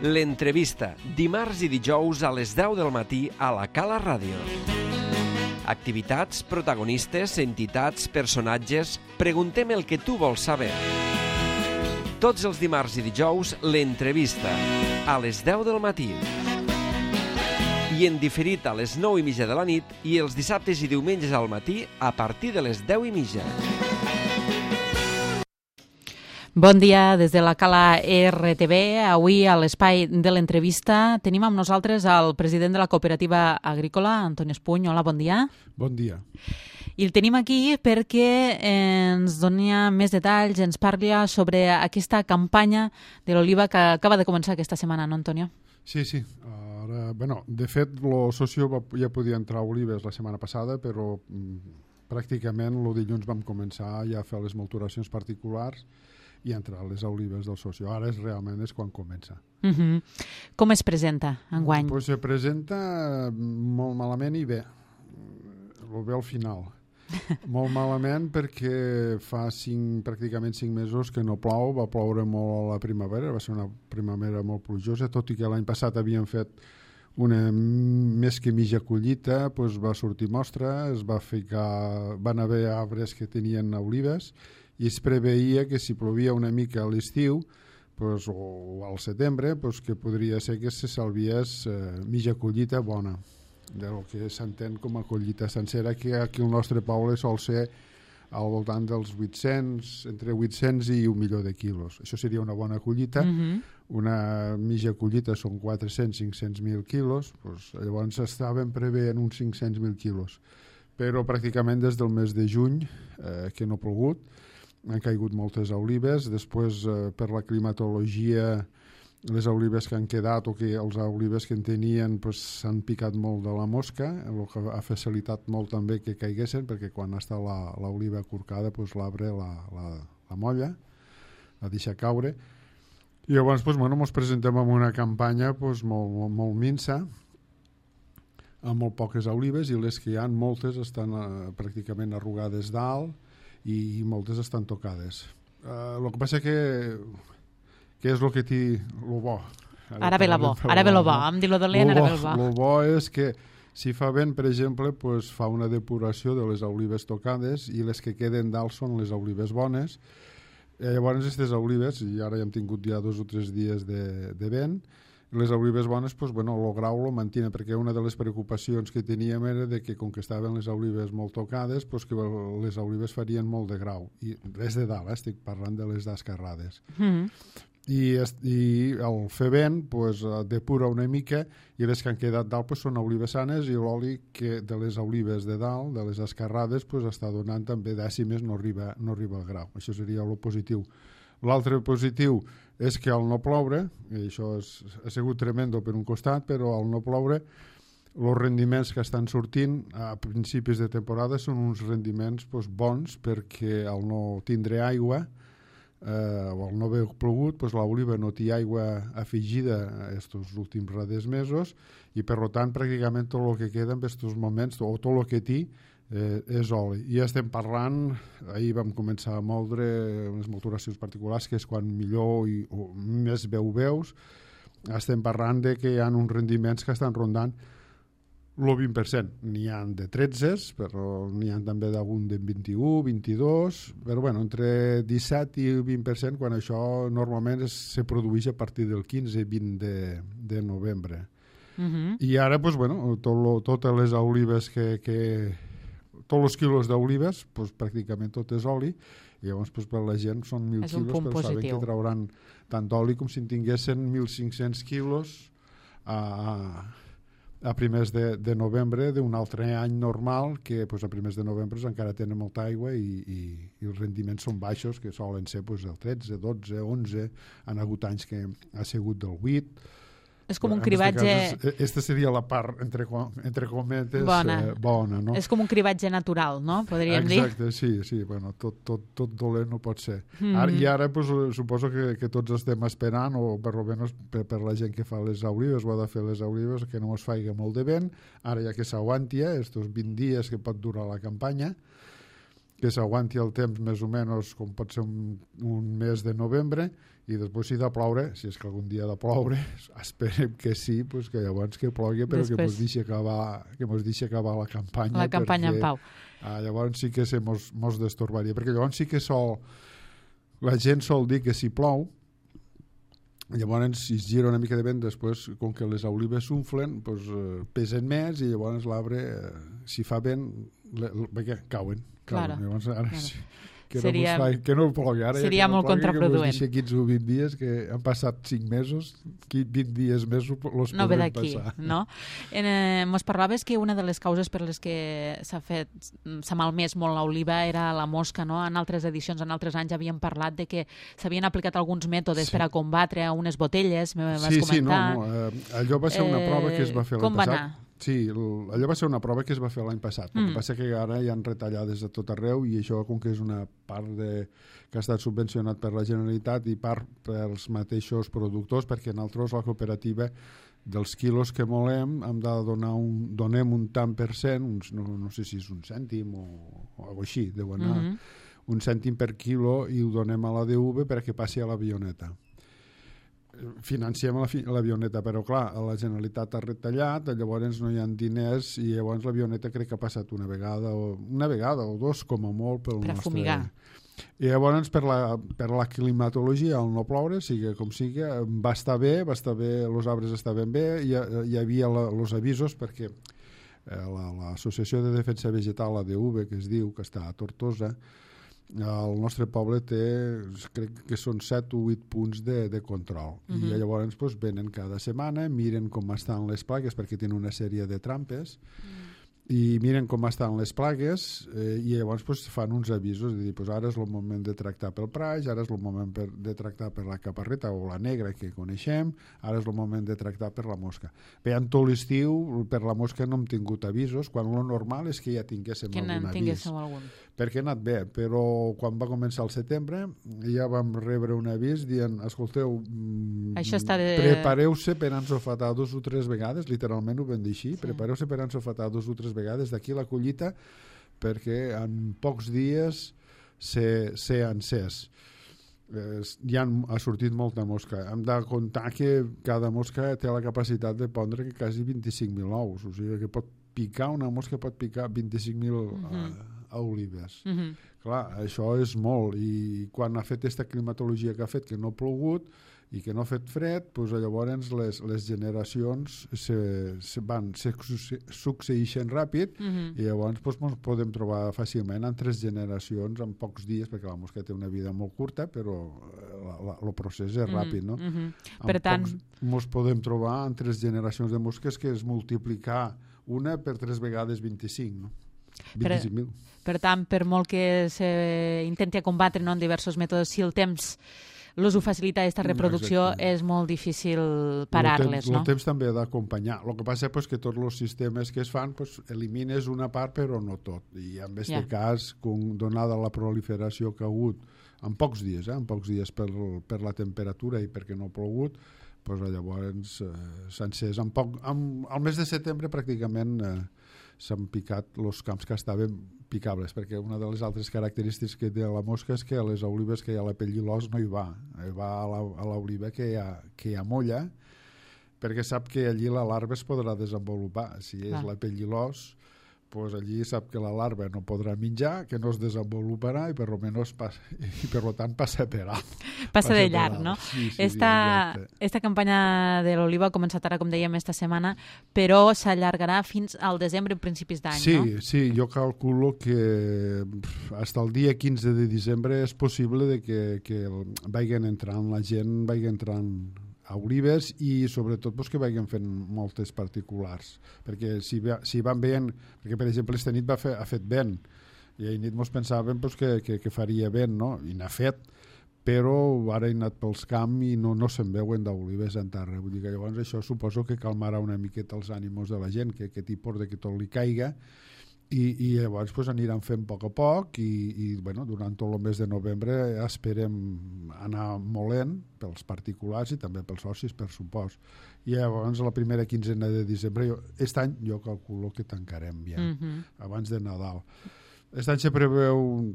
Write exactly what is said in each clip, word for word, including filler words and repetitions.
L'entrevista, dimarts i dijous a les deu del matí a la Cala Ràdio. Activitats, protagonistes, entitats, personatges... Preguntem el que tu vols saber. Tots els dimarts i dijous, l'entrevista, a les deu del matí. I en diferit a les nou i mitja de la nit i els dissabtes i diumenges al matí a partir de les deu i mitja. Bon dia des de la Cala R T V. Avui a l'espai de l'entrevista tenim amb nosaltres el president de la cooperativa agrícola, Antoni Espuny. Hola, bon dia. Bon dia. I el tenim aquí perquè ens dona més detalls, ens parla sobre aquesta campanya de l'oliva que acaba de començar aquesta setmana, no, Antonio? Sí, sí. Ara, bueno, de fet, el socio va, ja podia entrar a olives la setmana passada, però mm, pràcticament el dilluns vam començar ja a fer les malturacions particulars i entrar a les olives del socio. Ara és, realment és quan comença. Uh -huh. Com es presenta enguany? Pues se presenta molt malament i bé. Ho ve al final. Molt malament perquè fa cinc, pràcticament cinc mesos que no plou, va ploure molt a la primavera, va ser una primavera molt plujosa, tot i que l'any passat havien fet una més que mitja collita, doncs va sortir mostra, es va ficar, van haver arbres que tenien olives i es preveia que si plovia una mica a l'estiu doncs, o al setembre, doncs, que podria ser que se salviés eh, mitja collita bona, del que s'entén com a collita sencera, que aquí al nostre poble sol ser al voltant dels vuit-cents, entre vuit-cents i un milió de quilos. Això seria una bona collita. Uh-huh. Una mitja collita són quatre-cents a cinc-cents mil quilos, doncs, llavors estaven preveient uns cinc-cents mil quilos. Però pràcticament des del mes de juny, eh, que no ha plogut, han caigut moltes olives. Després, eh, per la climatologia, les olives que han quedat o que els olives que en tenien s'han pues, picat molt de la mosca, el que ha facilitat molt també que caiguessin, perquè quan està l'oliva acurcada pues, l'arbre la, la, la molla, la deixa caure. I llavors pues, bueno, ens presentem amb una campanya pues, molt, molt, molt minsa, amb molt poques olives, i les que hi ha, moltes estan eh, pràcticament arrugades dalt i, i moltes estan tocades. El eh, que passa que què és el que té el bo? Ara, ara ve la bo, ara ve el bo, em diu lo dolent, ara ve el bo. El bo és que si fa vent, per exemple, pues, fa una depuració de les olives tocades i les que queden dalt són les olives bones. Eh, llavors, aquestes olives, i ara ja hem tingut ja dos o tres dies de, de vent, les olives bones, pues, bueno, el grau lo mantiene, perquè una de les preocupacions que teníem era de que, com que estaven les olives molt tocades, pues, que les olives farien molt de grau. I res de dalt, eh? Estic parlant de les d'escarrades. Mm. I, i el fer vent pues, depura una mica i les que han quedat dalt pues, són olives sanes i l'oli que de les olives de dalt, de les escarrades, pues, està donant també dècimes, no arriba, no arriba al grau. Això seria el positiu. L'altre positiu és que al no ploure, i això és, ha sigut tremendo per un costat, però al no ploure els rendiments que estan sortint a principis de temporada són uns rendiments pues, bons, perquè al no tindre aigua eh, o al no haver plogut, pues, l'oliva no té aigua afegida aquests últims raders mesos i per tant pràcticament tot el que queda en aquests moments o tot el que té eh, és oli. I estem parlant, ahir vam començar a moldre unes malturacions particulars que és quan millor i o més veu veus, estem parlant de que hi ha uns rendiments que estan rondant el vint per cent. N'hi ha de tretze, però n'hi ha també d'algun de vint-i-u, vint-i-dos, però bueno, entre disset i vint per cent, quan això normalment es, se produeix a partir del quinze vint de, de novembre. Uh-huh. I ara, pues, bueno, tot lo, totes les olives que... que tots els quilos d'olives, pues, pràcticament tot és oli, i llavors pues, per la gent són mil quilos, però positiu. Saben que trauran tant d'oli com si en tinguessin mil cinc-cents quilos a... a primers de, de novembre d'un altre any normal que pues, a primers de novembre pues, encara tenen molta aigua i, i, i els rendiments són baixos, que solen ser pues, el tretze, dotze, onze, han hagut anys que ha sigut del vuit. És com un cribatge... Aquesta seria la part, entre, entre cometes, bona. Eh, bona, no? És com un cribatge natural, no? Podríem Exacte, dir. Exacte, sí, sí. Bueno, tot, tot, tot dolent no pot ser. Mm-hmm. Ara, I ara pues, suposo que, que tots estem esperant, o per almenys per, per la gent que fa les olives, o ha de fer les olives, que no es faci molt de vent. Ara ja que s'aguanti, estos vint dies que pot durar la campanya, que s'aguanti el temps més o menys com pot ser un, un mes de novembre, i després si ha de ploure, si és que algun dia ha de ploure, esperem que sí, pues que llavors que plogui, però després... que mos deixi acabar, que mos deixi acabar la campanya. La campanya perquè, en pau. Ah, llavors sí que se mos, mos destorbaria, perquè llavors sí que sol, la gent sol dir que si plou, llavors si es gira una mica de vent, després, com que les olives s'unflen, pues, eh, pesen més i llavors l'arbre, eh, si fa vent, le, le, le, cauen. cauen. Claro. Llavors ara claro. sí. Que, seria, no fa, que no el plogui ara. Seria ja no molt plogui, contraproduent. Que quinze o vint dies, que han passat cinc mesos, vint dies més los no ve podrem d'aquí, passar. No? En, eh, mos parlaves que una de les causes per les que s'ha fet, s'ha malmès molt l'oliva era la mosca, no? En altres edicions, en altres anys havíem parlat de que s'havien aplicat alguns mètodes sí. per a combatre a unes botelles, me vas sí, comentar. Sí, no, no. Eh, allò va ser una eh, prova que es va fer l'any passat. Com va anar? Sí, allò va ser una prova que es va fer l'any passat. El mm. que passa que ara hi ha retallades de tot arreu i això, com que és una part de, que ha estat subvencionat per la Generalitat i part pels mateixos productors, perquè nosaltres, la cooperativa, dels quilos que molem, hem de donar un, donem un tant per cent, uns, no, no sé si és un cèntim o, o alguna així, deu anar, mm -hmm. un cèntim per quilo i ho donem a la D V perquè passi a l'avioneta. Financiem l'avioneta, però clar, la Generalitat ha retallat, llavors no hi ha diners i llavors l'avioneta crec que ha passat una vegada o una vegada o dos com a molt pel per nostre... fumigar. I llavors per la, per la climatologia, el no ploure, sigui com sigui, va estar bé, va estar bé, els arbres estaven bé, hi, hi havia els avisos perquè eh, l'Associació de Defensa Vegetal, la D V, que es diu, que està a Tortosa, el nostre poble té, crec que són set o vuit punts de, de control. Uh -huh. I llavors pues, venen cada setmana, miren com estan les plagues, perquè tenen una sèrie de trampes, uh -huh. i miren com estan les plagues eh, i llavors pues, fan uns avisos de dir, pues, ara és el moment de tractar pel praix, ara és el moment per, de tractar per la caparreta o la negra que coneixem, ara és el moment de tractar per la mosca. Bé, en tot l'estiu per la mosca no hem tingut avisos, quan el normal és que ja tinguéssim que algun avís. tinguéssiu algun. Perquè ha anat bé, però quan va començar el setembre ja vam rebre un avís dient, escolteu, això està de... prepareu-se per ensofetar dos o tres vegades, literalment ho vam dir així, sí. prepareu-se per ensofetar dos o tres vegades d'aquí la collita perquè en pocs dies s'ha encès. Eh, ja ha sortit molta mosca. Hem de comptar que cada mosca té la capacitat de pondre quasi vint-i-cinc mil ous, o sigui que pot picar, una mosca pot picar vint-i-cinc mil uh, olives. Uh -huh. Clar, això és molt, i quan ha fet aquesta climatologia que ha fet, que no ha plogut i que no ha fet fred, doncs llavors les, les generacions se, se van, se succeeixen ràpid uh -huh. i llavors doncs, ens podem trobar fàcilment en tres generacions en pocs dies, perquè la mosca té una vida molt curta, però el procés és ràpid, no? Uh -huh. Per tant... Ens podem trobar en tres generacions de mosques que és multiplicar una per tres vegades vint-i-cinc, no? vint-i-cinc mil. Per, per tant, per molt que s'intenti combatre, no, en diversos mètodes, si el temps l'ús ho facilita aquesta reproducció, exacte, és molt difícil parar-les, no? El temps també ha d'acompanyar. El que passa és que tots els sistemes que es fan pues, elimines una part però no tot. I en aquest yeah. cas, com, donada la proliferació que ha hagut en pocs dies, eh, en pocs dies per, per la temperatura i perquè no ha plogut, pues, llavors eh, s'ha encès. En poc, en, al mes de setembre pràcticament eh, s'han picat els camps que estaven picables, perquè una de les altres característiques que té la mosca és que a les olives que hi ha la pell i l'os no hi va, va a l'oliva que, hi ha, que hi ha molla, perquè sap que allí la larva es podrà desenvolupar. Si és ah. la pell i l'os, pues allí sap que la larva no podrà menjar, que no es desenvoluparà i per almenys passa, i per tant passa per alt. Passa, passa de llarg, no? Sí, sí, esta, sí, esta campanya de l'oliva ha començat ara, com dèiem, esta setmana, però s'allargarà fins al desembre, principis d'any, sí, no? Sí, sí, jo calculo que fins al dia quinze de desembre és possible de que, que vagin entrant, la gent vagi entrant a olives i sobretot pues, que vagin fent moltes particulars, perquè si, si van veient, perquè per exemple esta nit va fer, ha fet vent i ahir nit mos pensàvem pues, que, que, que faria vent, no? I n'ha fet, però ara he anat pels camps i no, no se'n veuen d'olives en terra, vull dir que llavors això suposo que calmarà una miqueta els ànims de la gent, que aquest tipus de que tot li caiga. I, i llavors pues, aniran fent a poc a poc i, i bueno, durant tot el mes de novembre esperem anar molent pels particulars i també pels socis, per supost. I llavors la primera quinzena de desembre, jo, aquest any jo calculo que tancarem ja, mm-hmm. abans de Nadal. Aquest any se preveu un,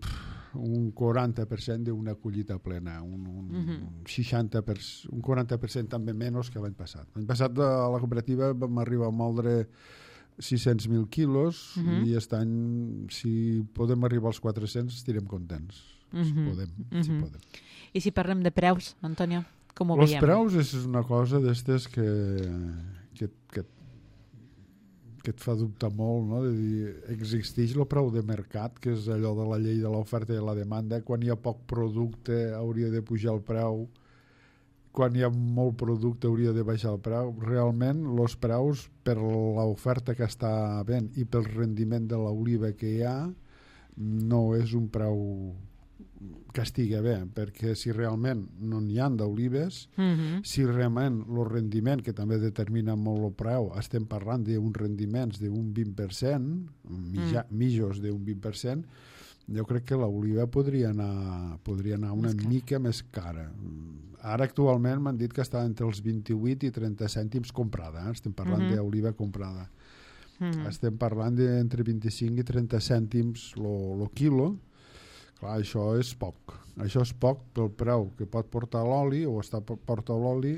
un quaranta per cent d'una collita plena, un, un, uh-huh. un, seixanta per cent, un quaranta per cent també menys que l'any passat. L'any passat a la cooperativa vam arribar a moldre sis-cents mil quilos uh-huh. i aquest any, si podem arribar als quatre-cents, estirem contents. Uh-huh. Si podem, uh-huh. si podem. I si parlem de preus, Antonio, com ho Los veiem? Els preus és una cosa d'estes que, que, que que et fa dubtar molt, no? De dir, existeix el preu de mercat, que és allò de la llei de l'oferta i la demanda. Quan hi ha poc producte hauria de pujar el preu, quan hi ha molt producte hauria de baixar el preu. Realment, els preus, per l'oferta que està havent i pel rendiment de l'oliva que hi ha, no és un preu que estigui bé, perquè si realment no n'hi ha d'olives, uh-huh. si realment el rendiment, que també determina molt el preu, estem parlant d'uns rendiments d'un vint per cent, mitja, uh-huh. mitjos d'un vint per cent, jo crec que l'oliva podria anar, podria anar una més mica més cara. Ara actualment m'han dit que està entre els vint-i-vuit i trenta cèntims comprada, eh? Estem parlant uh-huh. d'oliva comprada. Uh-huh. Estem parlant d'entre vint-i-cinc i trenta cèntims el quilo. Clar, això és poc. Això és poc pel preu que pot portar l'oli o està porta l'oli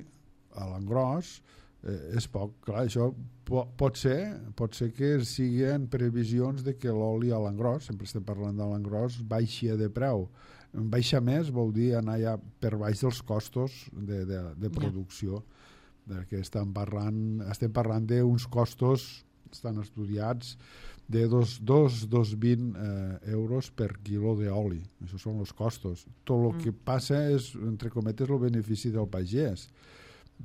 a l'engròs. Eh, és poc. Clar, això po pot ser pot ser que siguin previsions de que l'oli a l'engròs, sempre estem parlant de l'engròs, baixi de preu. Baixa més vol dir anar ja per baix dels costos de, de, de producció. Yeah. Que estem parlant, estem parlant d'uns costos, estan estudiats, de dos coma vint eh, euros per quilo d'oli. Això són els costos. Tot el mm. que passa és, entre cometes, el benefici del pagès.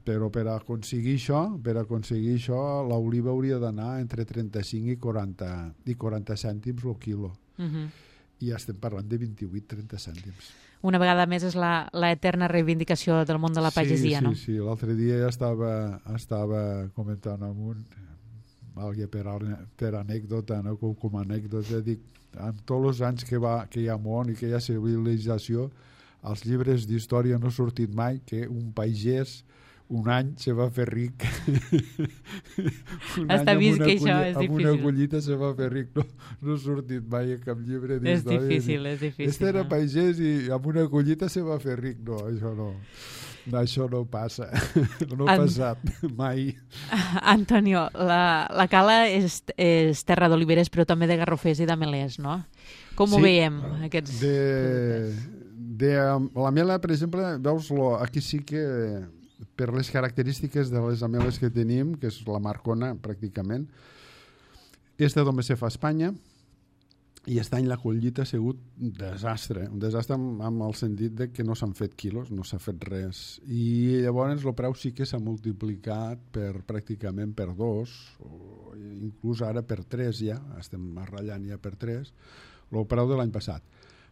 Però per aconseguir això, per aconseguir això, l'oliva hauria d'anar entre trenta-cinc i quaranta, i quaranta cèntims el quilo. Mm-hmm. I estem parlant de vint-i-vuit a trenta cèntims. Una vegada més és la, la eterna reivindicació del món de la pagesia, sí, no? Sí, sí. L'altre dia ja estava, estava comentant amb un... Alguien per, per anècdota, no? com, com anècdota, dic, amb tots els anys que, va, que hi ha món i que hi ha civilització, als llibres d'història no ha sortit mai que un pagès un any se va fer ric. un Està vist que això és difícil. Amb una collita se va fer ric. No, no ha sortit mai a cap llibre d'història. És difícil, és difícil. Este era pagès i amb una collita se va fer ric. No, això no. No, això no passa. No ha passat mai. Antonio, la, la Cala és, és terra d'oliveres, però també de garrofers i d'amelers, no? Com sí, ho veiem, aquests de, productes? De la mela, per exemple, veus, lo, aquí sí que per les característiques de les ameles que tenim, que és la Marcona, pràcticament, esta només se fa a Espanya, i aquest any la collita ha sigut un desastre, un desastre amb, amb el sentit de que no s'han fet quilos, no s'ha fet res. I llavors el preu sí que s'ha multiplicat per pràcticament per dos, o inclús ara per tres ja, estem ratllant ja per tres, el preu de l'any passat.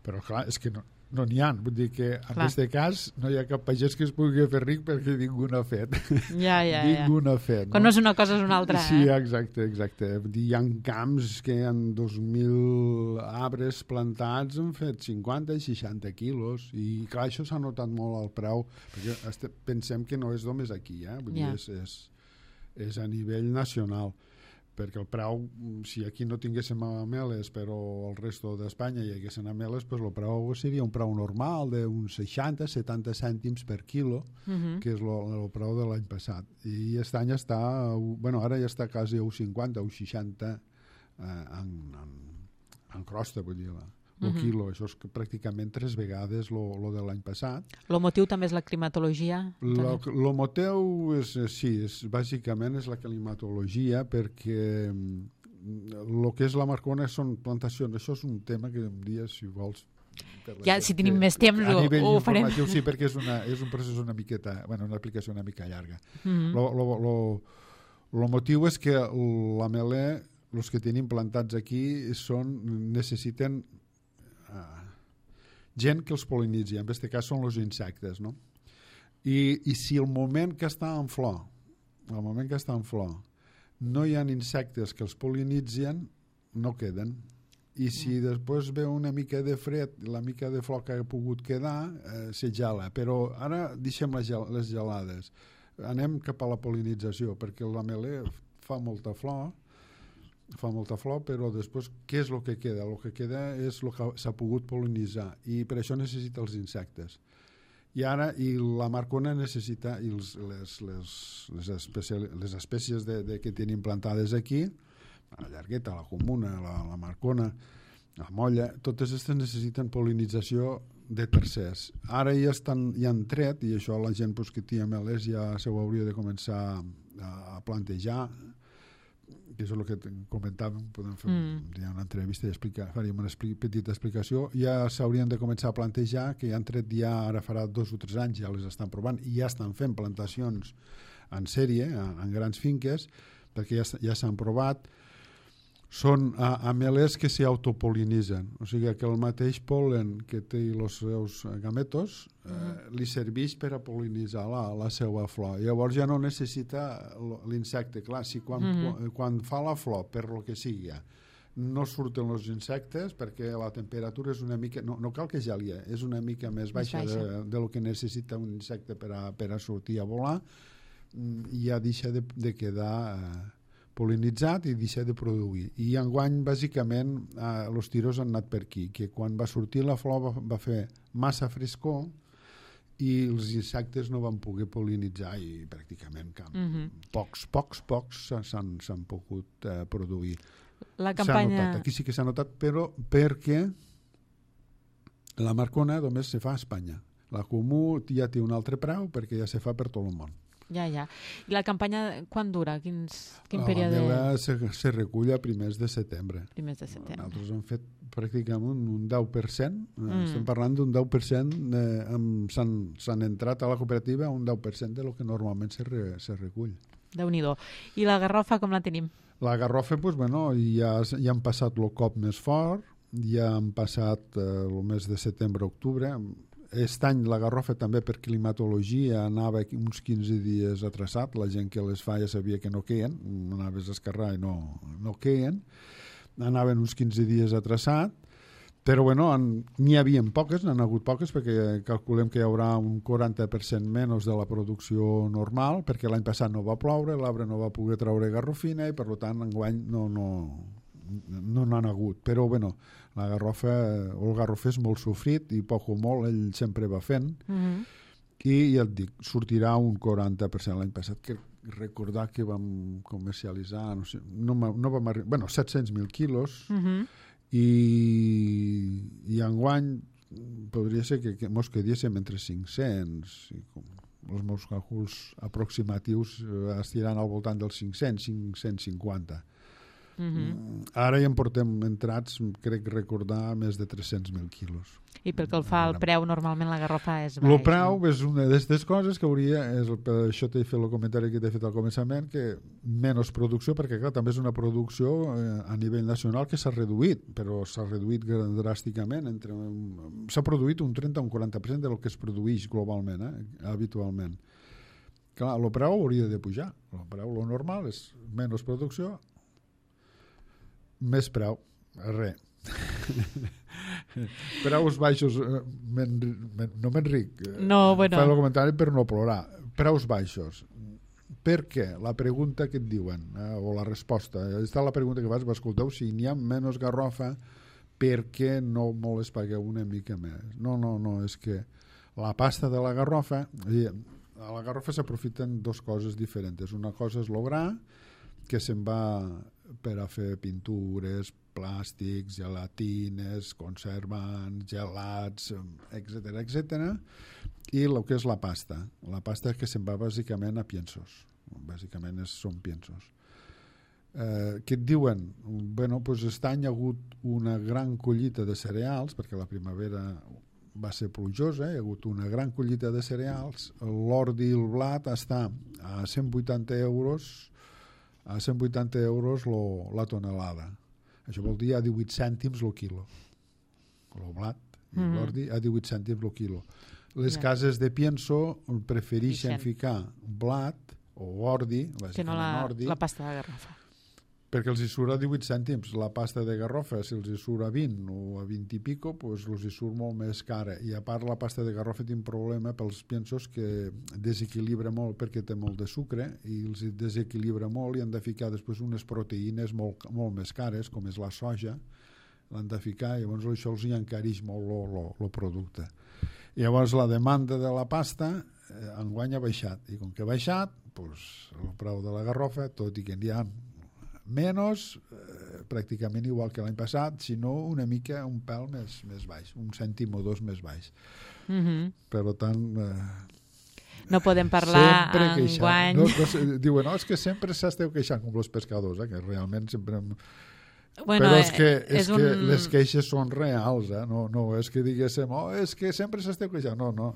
Però clar, és que no no n'hi ha, vull dir que en aquest cas no hi ha cap pagès que es pugui fer ric perquè ningú n'ha fet. Ja, ja, ningú ja. n'ha fet. Quan no? no és una cosa és una altra. Sí, eh? exacte, exacte. Hi ha camps que hi ha dos mil arbres plantats han fet cinquanta i seixanta quilos i clar, això s'ha notat molt al preu perquè este, pensem que no és només aquí, eh? Vull ja. dir, és, és, és a nivell nacional. Perquè el preu, si aquí no tinguéssim ameles però el resto d'Espanya hi haguessin ameles, doncs el preu seria un preu normal d'uns seixanta a setanta cèntims per quilo, uh-huh. que és el preu de l'any passat. I aquest any està, bueno, ara ja està quasi a un cinquanta, un seixanta eh, en, en, en crosta, vull dir, el uh-huh. quilo. Això és pràcticament tres vegades el de l'any passat. El motiu també és la climatologia? El motiu és, sí, és, bàsicament és la climatologia perquè el que és la Marcona són plantacions. Això és un tema que un dia, si vols... Ja, si tenim més temps ho, ho farem. Sí, perquè és, una, és un procés una miqueta, bueno, una aplicació una mica llarga. El uh-huh. motiu és que l'ameler, els que tenim plantats aquí, són, necessiten Uh, gent que els polinitzi, en aquest cas són els insectes, no? I, i si el moment que està en flor el moment que està en flor no hi ha insectes que els polinitzen, no queden, i si mm. després ve una mica de fred, la mica de flor que ha pogut quedar, eh, se gela, però ara deixem les, gel les gelades, anem cap a la polinització perquè l'ameler fa molta flor fa molta flor, però després què és el que queda? El que queda és el que s'ha pogut pol·linitzar i per això necessita els insectes. I ara i la marcona necessita i els, les, les, les, especial, les espècies de, de que tenen plantades aquí, la llargueta, la comuna, la, la marcona, la molla, totes aquestes necessiten pol·linització de tercers. Ara ja, estan, ja han tret, i això la gent pues, que té ametlers ja se ho hauria de començar a, a plantejar, que és el que comentàvem, podem fer mm. ja una entrevista i explicar, faríem una expli petita explicació, ja s'haurien de començar a plantejar, que ja han tret ja, ara farà dos o tres anys, ja les estan provant, i ja estan fent plantacions en sèrie, en, en grans finques, perquè ja, ja s'han provat, són ameles que s'autopolinitzen, o sigui que el mateix pol·len que té els seus gametos eh, li serveix per a pol·linitzar la, la seva flor. Llavors ja no necessita l'insecte. Clar, si quan, mm-hmm. quan fa la flor, per lo que sigui, no surten els insectes perquè la temperatura és una mica... No, no cal que geli, és una mica més baixa, més baixa. De, de lo que necessita un insecte per a, per a sortir a volar, i ja deixa de, de quedar... Eh, pol·linitzat i deixar de produir. I enguany, bàsicament, eh, els tiros han anat per aquí, que quan va sortir la flor va, va fer massa frescor i els insectes no van poder pol·linitzar i pràcticament cap, mm-hmm. pocs, pocs, pocs s'han pogut eh, produir. La campanya... Notat, aquí sí que s'ha notat, però perquè la marcona només se fa a Espanya. La comú ja té un altre preu perquè ja se fa per tot el món. Ja, ja. I la campanya, quan dura? Quins, quin la període? La meva se, se recull a primers de setembre. Primers de setembre. Nosaltres hem fet pràcticament un deu per cent. Mm. Estem parlant d'un deu per cent. Eh, s'han entrat a la cooperativa un deu per cent de lo que normalment se, re, se recull. Déu-n'hi-do. I la garrofa com la tenim? La garrofa, pues, bueno, ja, ja han passat el cop més fort, ja han passat eh, el mes de setembre-octubre. Aquest any la garrofa també per climatologia anava uns quinze dies atrasat, la gent que les fa ja sabia que no queien, anaves a esquerrar i no, no queien, anaven uns quinze dies atrasat, però bueno, n'hi havia poques, n'han hagut poques perquè calculem que hi haurà un quaranta per cent menys de la producció normal, perquè l'any passat no va ploure, l'arbre no va poder treure garrofina i per tant enguany no no no n'han hagut, però bueno, la garrofa, o el garrofer és molt sofrit i poc o molt ell sempre va fent, mm-hmm. i ja et dic, sortirà un quaranta per cent l'any passat, que recordar que vam comercialitzar no, sé, no, no vam arribar, bueno, set-cents mil quilos, mm-hmm. i, i enguany podria ser que, que mos quedéssim entre cinc-cents i com els meus càlculs aproximatius eh, estiran al voltant dels cinc-cents, cinc-cents cinquanta. Mm-hmm. Ara ja en portem entrats, crec recordar, més de tres-cents mil quilos. I pel que el fa al preu, normalment la garrofa és baix. El preu no? És una d'aquestes coses que hauria, és el, per això t'he fet el comentari que t'he fet al començament, que menys producció, perquè clar, també és una producció eh, a nivell nacional que s'ha reduït, però s'ha reduït dràsticament. Entre, s'ha produït un trenta o un quaranta per cent del que es produeix globalment, eh, habitualment. Clar, el preu hauria de pujar. El preu, el normal, és menys producció, més preu, res. Preus baixos, men, men, no m'enric, no, bueno. Fa el comentari per no plorar. Preus baixos. Per què? La pregunta que et diuen, eh, o la resposta, està la pregunta que fas, escolteu, si n'hi ha menys garrofa, per què no me les pagueu una mica més? No, no, no, és que la pasta de la garrofa, a la garrofa s'aprofiten dues coses diferents. Una cosa és l'ogrà, que se'n va per a fer pintures, plàstics, gelatines, conservants, gelats, etcètera, etcètera, i el que és la pasta. La pasta que se'n va bàsicament a piensos. Bàsicament és, són piensos. Eh, què et diuen? Bueno, doncs aquest any ha hagut una gran collita de cereals, perquè la primavera va ser plujosa, hi ha hagut una gran collita de cereals, l'ordi i el blat està a cent vuitanta euros a cent vuitanta euros lo, la tonelada. Això vol dir a divuit cèntims el quilo. El blat i mm. l'ordi a divuit cèntims el quilo. Les yeah. cases de pienso prefereixen ficar blat o ordi, que no la, ordi, la pasta de garrofa. perquè els hi surt a divuit cèntims. La pasta de garrofa, si els hi surt a vint o a vint i pico, doncs els hi surt molt més cara. I a part la pasta de garrofa té un problema pels piensos que desequilibra molt perquè té molt de sucre i els desequilibra molt i han de ficar després unes proteïnes molt, molt més cares, com és la soja, l'han de ficar i llavors això els hi encareix molt el producte. I llavors la demanda de la pasta eh, enguany ha baixat i com que ha baixat, doncs el preu de la garrofa, tot i que n'hi ha menys, eh, pràcticament igual que l'any passat, sinó una mica, un pèl més, més baix, un cèntim o dos més baix. Mm-hmm. Per tant... Eh, no podem parlar enguany... No, no, diuen, no, és que sempre s'esteu queixant com els pescadors, eh, que realment sempre... Bueno, però és que, és, és que un... les queixes són reals, eh? no, no és que diguéssim, oh, és que sempre s'esteu queixant, no, no.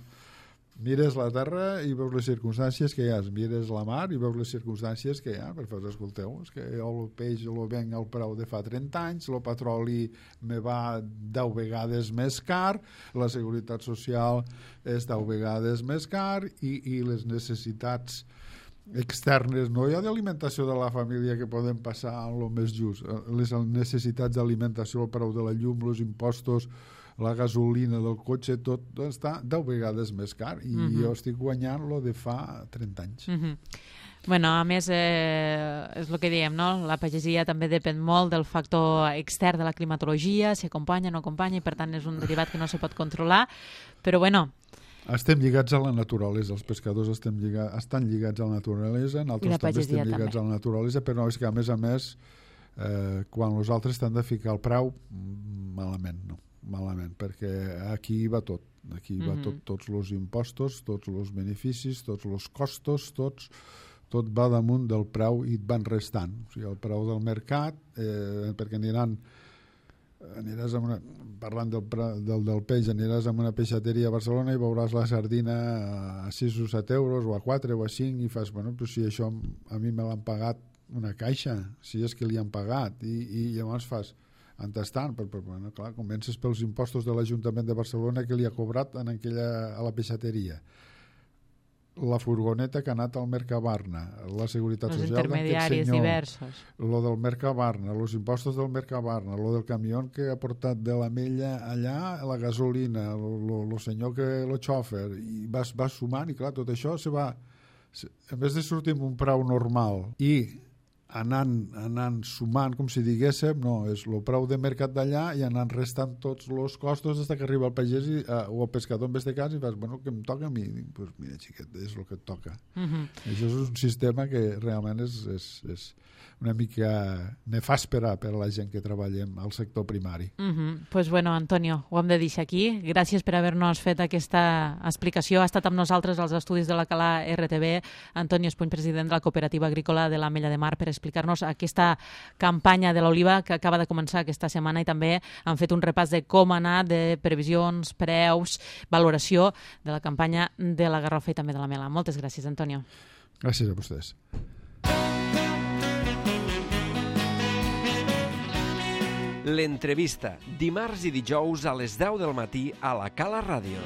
Mires la terra i veus les circumstàncies que hi ha, mires la mar i veus les circumstàncies que hi ha, per fer, escolteu, és que el peix el venc al preu de fa trenta anys, el petroli me va deu vegades més car, la seguretat social és deu vegades més car i, i les necessitats externes, no hi ha d'alimentació de la família que podem passar en el més just, les necessitats d'alimentació, el preu de la llum, els impostos, la gasolina del cotxe, tot està deu vegades més car i mm-hmm. jo estic guanyant lo de fa trenta anys. Mm-hmm. Bueno, a més, eh, és el que diem, no? La pagesia també depèn molt del factor extern de la climatologia, si acompanya o no acompanya, i per tant és un derivat que no se pot controlar, però bueno... Estem lligats a la naturalesa, els pescadors estem lligats, estan lligats a la naturalesa, nosaltres també estem lligats també. a la naturalesa, però és que a més a més, eh, quan els altres t'han de ficar el preu, malament, no. malament, perquè aquí va tot, aquí mm-hmm. va tot, tots els impostos, tots els beneficis, tots els costos, tots, tot va damunt del preu i et van restant. O sigui, el preu del mercat, eh, perquè aniran, aniràs a una, parlant del, del, del peix, aniràs a una peixateria a Barcelona i veuràs la sardina a sis o set euros, o a quatre o a cinc, i fas, bueno, però si això a mi me l'han pagat una caixa, si és que li han pagat, i, i llavors fas... entestant, però, però bueno, clar, comences pels impostos de l'Ajuntament de Barcelona que li ha cobrat en aquella, a la peixateria, la furgoneta que ha anat al Mercabarna, la Seguretat els Social intermediaris senyor, diversos, lo del Mercabarna, els impostos del Mercabarna, lo del camió que ha portat de la Mella allà, la gasolina, el senyor que lo xòfer, i vas, vas sumant, i clar, tot això se va, se, en vez de sortir amb un preu normal i anant, anant sumant, com si diguéssim, no, és el preu de mercat d'allà i anant restant tots els costos fins que arriba el pagès i, uh, o el pescador en aquest cas i fas, bueno, què em toca a mi? Dic, pues mira, xiquet, és el que et toca. Uh-huh. Això és un sistema que realment és, és, és una mica nefàspera per a la gent que treballem al sector primari. Uh-huh. Pues bueno, Antonio, ho hem de deixar aquí. Gràcies per haver-nos fet aquesta explicació. Ha estat amb nosaltres als estudis de la Cala R T B Antonio Espuny, president de la Cooperativa Agrícola de l'Ametlla de Mar, per explicar-nos aquesta campanya de l'oliva que acaba de començar aquesta setmana, i també han fet un repàs de com ha anat, de previsions, preus, valoració de la campanya de la garrofa i també de la mela. Moltes gràcies, Antonio. Gràcies a vostès. L'entrevista, dimarts i dijous a les deu del matí a la Cala Ràdio.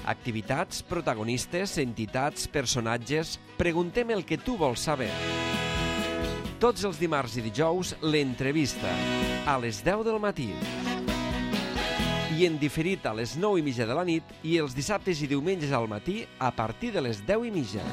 Activitats, protagonistes, entitats, personatges... Preguntem el que tu vols saber. Tots els dimarts i dijous, l'entrevista, a les deu del matí. I en diferit a les nou i mitja de la nit i els dissabtes i diumenges al matí a partir de les deu i mitja.